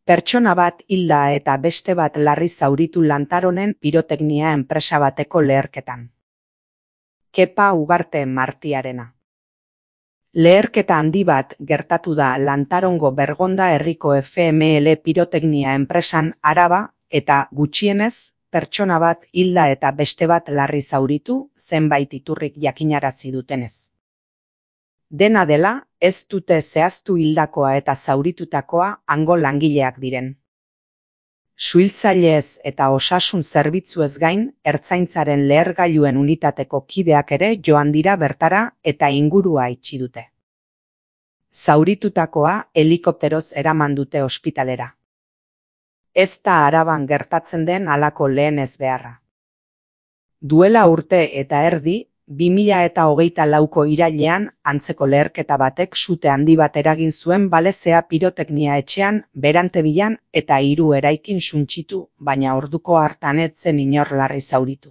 Pertsona bat hilda eta beste bat larri zauritu Lantaronen piroteknia enpresa bateko leherketan. Kepa Ugarte Martiarena. Leherketa handi bat gertatu da Lantarongo Bergonda herriko FML piroteknia enpresan Araba eta gutxienez pertsona bat hilda eta beste bat larri zauritu zenbait iturrik jakinarazi dutenez. Dena dela, ez dute zehaztu hildakoa eta zauritutakoa hango langileak diren. Suhiltzaileez eta osasun zerbitzuez gain, ertzaintzaren lehergailuen unitateko kideak ere joan dira bertara eta ingurua itxi dute. Zauritutakoa helikopteroz eraman dute ospitalera. Ez da Araban gertatzen den halako lehen ezbeharra. Duela urte eta erdi, 2024ko irailean antzeko leherketa batek sute handi bat eragin zuen Balezea piroteknia etxean Berantebilan eta 3 eraikin suntsitu, baina orduko hartan ez zen inor larri zauritu.